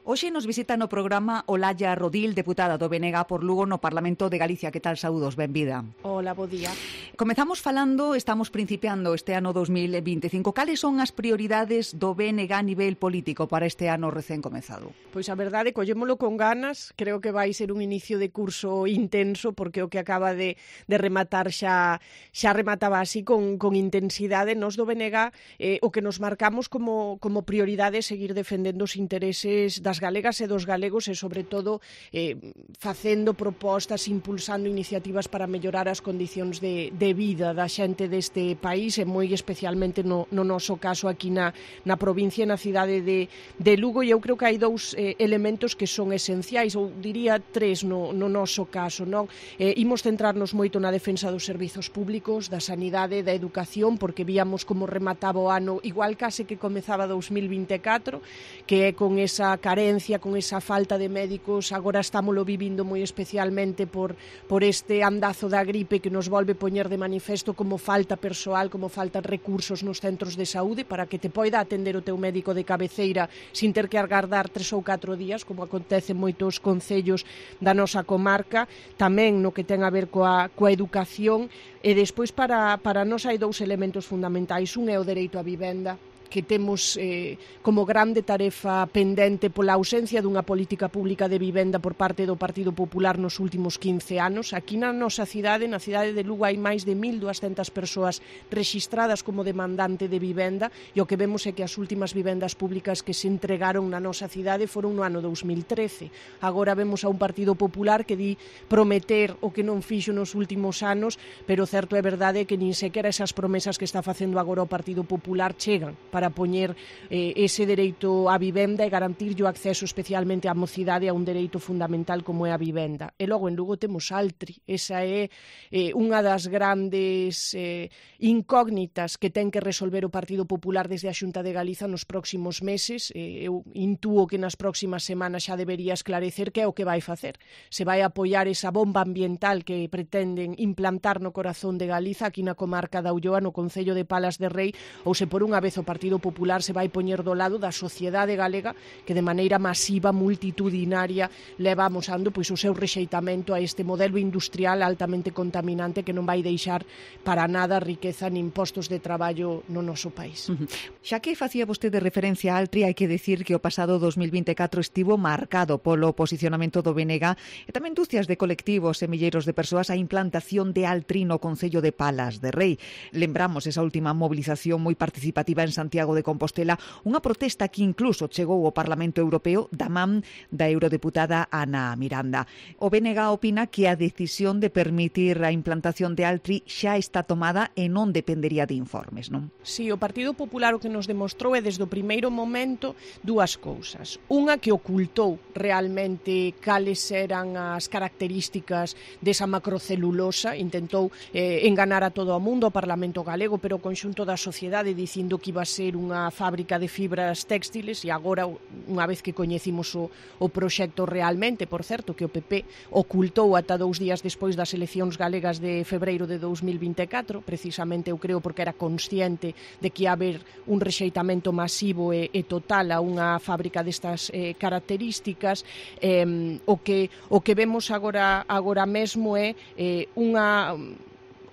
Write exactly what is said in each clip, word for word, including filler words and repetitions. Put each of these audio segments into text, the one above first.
Hoxe nos visita no programa Olalla Rodil, deputada do B N G por Lugo no Parlamento de Galicia. Que tal, saúdos, benvida. Hola, bo día. Comezamos falando, estamos principiando este ano dos mil vinte e cinco. Cales son as prioridades do B N G a nivel político para este ano recén comezado? Pois a verdade, collémolo con ganas. Creo que vai ser un inicio de curso intenso, porque o que acaba de, de rematar xa, xa remataba así con, con intensidade. Nos do B N G eh, o que nos marcamos como, como prioridade é seguir defendendo os intereses das galegas e dos galegos e, sobre todo, eh, facendo propostas, impulsando iniciativas para mellorar as condicións de, de vida da xente deste país e moi especialmente no, no noso caso aquí na, na provincia e na cidade de, de Lugo. E eu creo que hai dous eh, elementos que son esenciais, ou diría tres no, no noso caso, non? Eh, imos centrarnos moito na defensa dos servizos públicos, da sanidade, da educación, porque víamos como remataba o ano, igual case que comezaba dos mil vinte e catro, que é con esa carencia, con esa falta de médicos. Agora estámoslo vivindo moi especialmente por, por este andazo da gripe que nos volve poñer de manifesto como falta persoal, como faltan recursos nos centros de saúde para que te poida atender o teu médico de cabeceira sin ter que agardar tres ou catro días, como acontece en moitos concellos da nosa comarca. Tamén no que ten a ver coa, coa educación. E despois para, para nós hai dous elementos fundamentais. Un é o dereito á vivenda, que temos eh, como grande tarefa pendente pola ausencia dunha política pública de vivenda por parte do Partido Popular nos últimos quince anos. Aquí na nosa cidade, na cidade de Lugo, hai máis de mil duascentas persoas rexistradas como demandante de vivenda, e o que vemos é que as últimas vivendas públicas que se entregaron na nosa cidade foron no ano dos mil trece. Agora vemos a un Partido Popular que di prometer o que non fixo nos últimos anos, pero certo é verdade que nin sequera esas promesas que está facendo agora o Partido Popular chegan para poñer eh, ese dereito á vivenda e garantirlle o acceso especialmente á mocidade a un dereito fundamental como é a vivenda. E logo en Lugo temos Altri. Esa é eh, unha das grandes eh, incógnitas que ten que resolver o Partido Popular desde a Xunta de Galiza nos próximos meses. Eh, eu intúo que nas próximas semanas xa debería esclarecer que é o que vai facer. Se vai apoiar esa bomba ambiental que pretenden implantar no corazón de Galiza, aquí na comarca da Ulloa, no concello de Palas de Rei, ou se por unha vez o Partido Popular se vai poñer do lado da sociedade galega que de maneira masiva, multitudinaria, leva amosando pois o seu rexeitamento a este modelo industrial altamente contaminante que non vai deixar para nada riqueza nin postos de traballo no noso país. Uh-huh. Xa que facía vostede referencia a Altri, hai que decir que o pasado dos mil vinte e catro estivo marcado polo posicionamento do B N G e tamén dúcias de colectivos e milleiros de persoas a implantación de Altri no concello de Palas de Rei. Lembramos esa última movilización moi participativa en Santiago de Compostela, unha protesta que incluso chegou ao Parlamento Europeo da man da eurodeputada Ana Miranda. O B N G opina que a decisión de permitir a implantación de Altri xa está tomada e non dependería de informes, non? Si, o Partido Popular o que nos demostrou é desde o primeiro momento dúas cousas. Unha, que ocultou realmente cales eran as características desa macrocelulosa, intentou eh, enganar a todo o mundo, o Parlamento galego, pero o conxunto da sociedade, dicindo que iba a ser unha fábrica de fibras textiles, e agora, unha vez que coñecimos o, o proxecto realmente, por certo, que o P P ocultou ata dous días despois das eleccións galegas de febreiro de dos mil vinte e catro, precisamente eu creo porque era consciente de que ia haber un rexeitamento masivo e, e total a unha fábrica destas eh, características. Eh, o que o que vemos agora agora mesmo é eh, unha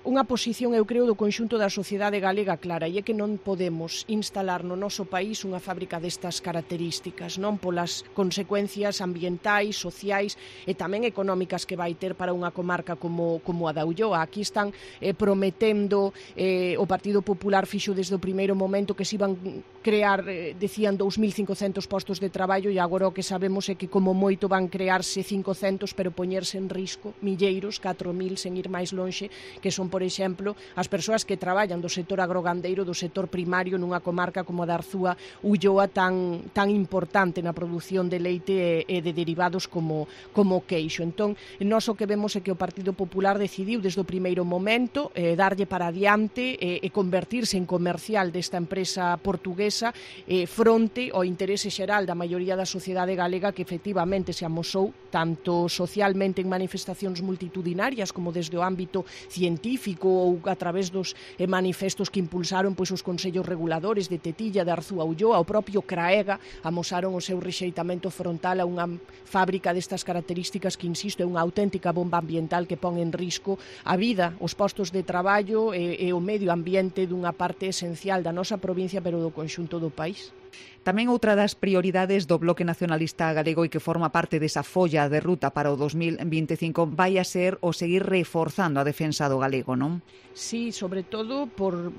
unha posición, eu creo, do conxunto da sociedade galega clara, e é que non podemos instalar no noso país unha fábrica destas características, non polas consecuencias ambientais, sociais e tamén económicas que vai ter para unha comarca como, como a da Ulloa. Aquí están eh, prometendo, eh, o Partido Popular fixo desde o primeiro momento que se iban crear, eh, decían, dous mil cincocentos postos de traballo, e agora o que sabemos é que como moito van crearse cincocentos, pero poñerse en risco milleiros, catro mil, sen ir máis lonxe, que son, por exemplo, as persoas que traballan do sector agrogandeiro, do sector primario nunha comarca como a da Arzúa, Ulloa, tan, tan importante na produción de leite e, e de derivados como, como queixo. Entón, nós o que vemos é que o Partido Popular decidiu desde o primeiro momento eh, darlle para adiante e, e convertirse en comercial desta empresa portuguesa eh, fronte ao interese xeral da maioría da sociedade galega, que efectivamente se amosou tanto socialmente en manifestacións multitudinarias como desde o ámbito científico pacífico ou a través dos eh, manifestos que impulsaron pois os consellos reguladores de Tetilla, de Arzúa Ulloa, o propio Craega, amosaron o seu rexeitamento frontal a unha fábrica destas características que, insisto, é unha auténtica bomba ambiental que pon en risco a vida, os postos de traballo e, e o medio ambiente dunha parte esencial da nosa provincia, pero do conxunto do país. Tamén outra das prioridades do Bloque Nacionalista Galego e que forma parte desa folla de ruta para o dos mil vinte e cinco vai a ser o seguir reforzando a defensa do galego, non? Sí, sobre todo por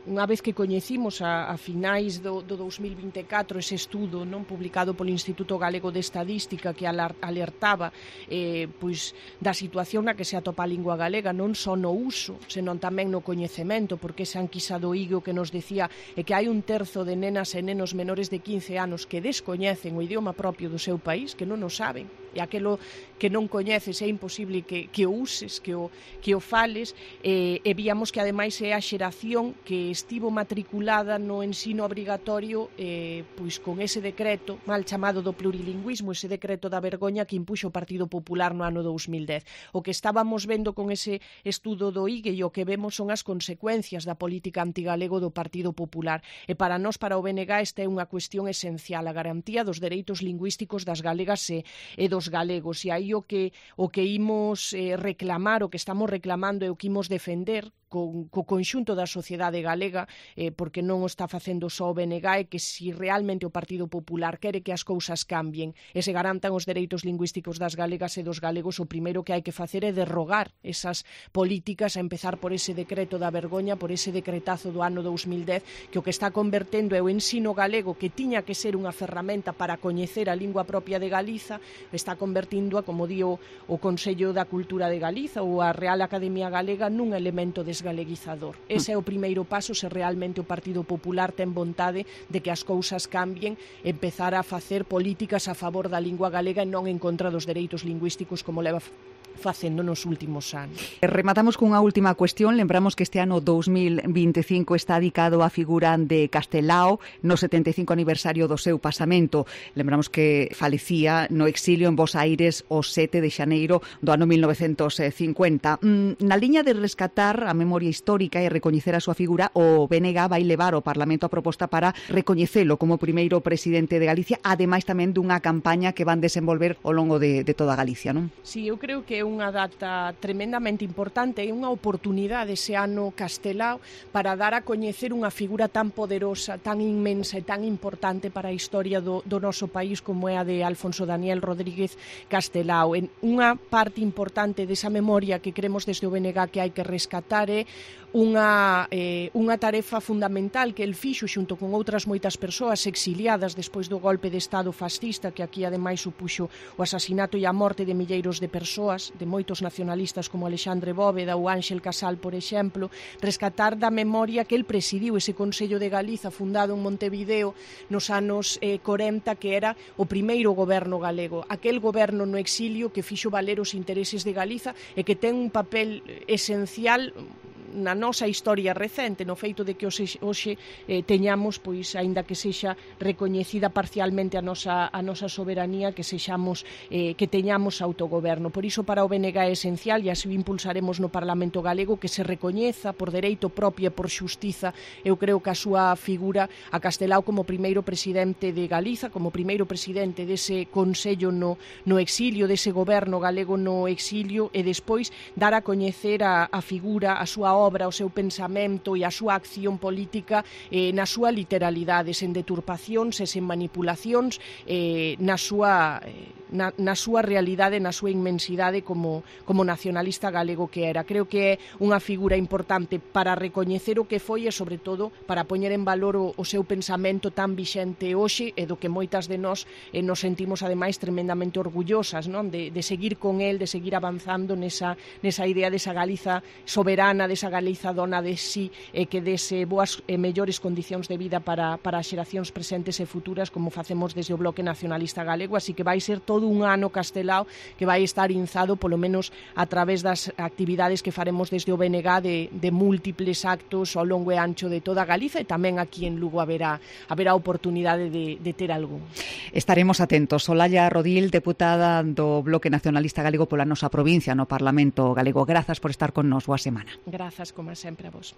unha vez que coñecimos a, a finais do, do dos mil vinte e catro ese estudo non publicado polo Instituto Galego de Estadística que alertaba eh, pois, da situación na que se atopa a lingua galega, non só no uso, senón tamén no coñecemento, porque ese anquisa do Igo que nos decía é que hai un terzo de nenas e nenos menores de quince anos que descoñecen o idioma propio do seu país, que non o saben, e aquelo que non coñeces é imposible que, que o uses, que o, que o fales, eh, e víamos que ademais é a xeración que estivo matriculada no ensino obrigatorio eh, pois con ese decreto mal chamado do plurilingüismo, ese decreto da vergoña que impuxo o Partido Popular no ano dos mil dez. O que estábamos vendo con ese estudo do I G E e o que vemos son as consecuencias da política antigalego do Partido Popular. E para nós, para o B N G, esta é unha cuestión esencial, a garantía dos dereitos lingüísticos das galegas e, e dos galegos. E aí o que, o que imos eh, reclamar, o que estamos reclamando e o que imos defender co, co conxunto da sociedade galega, eh, porque non o está facendo só o B N G, é que se realmente o Partido Popular quere que as cousas cambien e se garantan os dereitos lingüísticos das galegas e dos galegos, o primeiro que hai que facer é derrogar esas políticas, a empezar por ese decreto da vergoña, por ese decretazo do ano dos mil dez, que o que está convertendo é o ensino galego, que tiña que ser unha ferramenta para coñecer a lingua propia de Galiza, está convertindo a, como di o, o Consello da Cultura de Galiza ou a Real Academia Galega, nun elemento desgaleguizador. Ese é o primeiro paso se realmente o Partido Popular ten vontade de que as cousas cambien, empezar a facer políticas a favor da lingua galega e non en contra dos dereitos lingüísticos como leva facendo nos últimos anos. Rematamos cunha última cuestión. Lembramos que este ano dos mil vinte e cinco está dedicado á figura de Castelao no setenta e cinco aniversario do seu pasamento. Lembramos que falecía no exilio en Bos Aires o sete de xaneiro do ano mil novecentos cincuenta. Na liña de rescatar a memoria histórica e recoñecer a súa figura, o B N G vai levar ao Parlamento a proposta para recoñecelo como primeiro presidente de Galicia, ademais tamén dunha campaña que van desenvolver ao longo de, de toda Galicia, non? Sí, eu creo que é unha data tremendamente importante e unha oportunidade ese ano Castelao para dar a coñecer unha figura tan poderosa, tan inmensa e tan importante para a historia do, do noso país como é a de Alfonso Daniel Rodríguez Castelao. En unha parte importante desa memoria que cremos desde o B N G que hai que rescatar é unha, eh, unha tarefa fundamental que el fixo xunto con outras moitas persoas exiliadas despois do golpe de Estado fascista, que aquí ademais supuxo o asasinato e a morte de milleiros de persoas, de moitos nacionalistas como Alexandre Bóveda ou Ángel Casal, por exemplo, rescatar da memoria que el presidiu ese Consello de Galiza fundado en Montevideo nos anos eh, corenta, que era o primeiro goberno galego, aquel goberno no exilio que fixo valer os intereses de Galiza e que ten un papel esencial na nosa historia recente, no feito de que hoxe, hoxe eh, teñamos, pois, aínda que sexa recoñecida parcialmente a nosa, a nosa soberanía, que sexamos, eh, que teñamos autogoberno. Por iso para o B N G é esencial, e así o impulsaremos no Parlamento Galego, que se recoñeza por dereito propio e por xustiza, eu creo que a súa figura a Castelao como primeiro presidente de Galiza, como primeiro presidente dese Consello no, no exilio, dese goberno galego no exilio, e despois dar a coñecer a, a figura, a súa obra, o seu pensamento e a súa acción política eh, na súa literalidade, sen deturpacións e sen manipulacións, eh, na súa eh, na, na súa realidade, na súa inmensidade como, como nacionalista galego que era. Creo que é unha figura importante para recoñecer o que foi e, sobre todo, para poñer en valor o, o seu pensamento tan vixente hoxe e do que moitas de nós eh, nos sentimos, ademais, tremendamente orgullosas, non? De, de seguir con el, de seguir avanzando nesa, nesa idea desa Galiza soberana, desa Galiza dona de sí e que dese boas e mellores condicións de vida para, para as xeracións presentes e futuras, como facemos desde o Bloque Nacionalista Galego. Así que vai ser todo todo un ano castelao que vai estar inzado polo menos a través das actividades que faremos desde o B N G de, de múltiples actos ao longo e ancho de toda Galiza, e tamén aquí en Lugo haberá, haberá oportunidade de, de ter algún. Estaremos atentos. Olalla Rodil, deputada do Bloque Nacionalista Galego pola nosa provincia no Parlamento Galego. Grazas por estar con nos. Boa semana. Grazas, como sempre, a vos.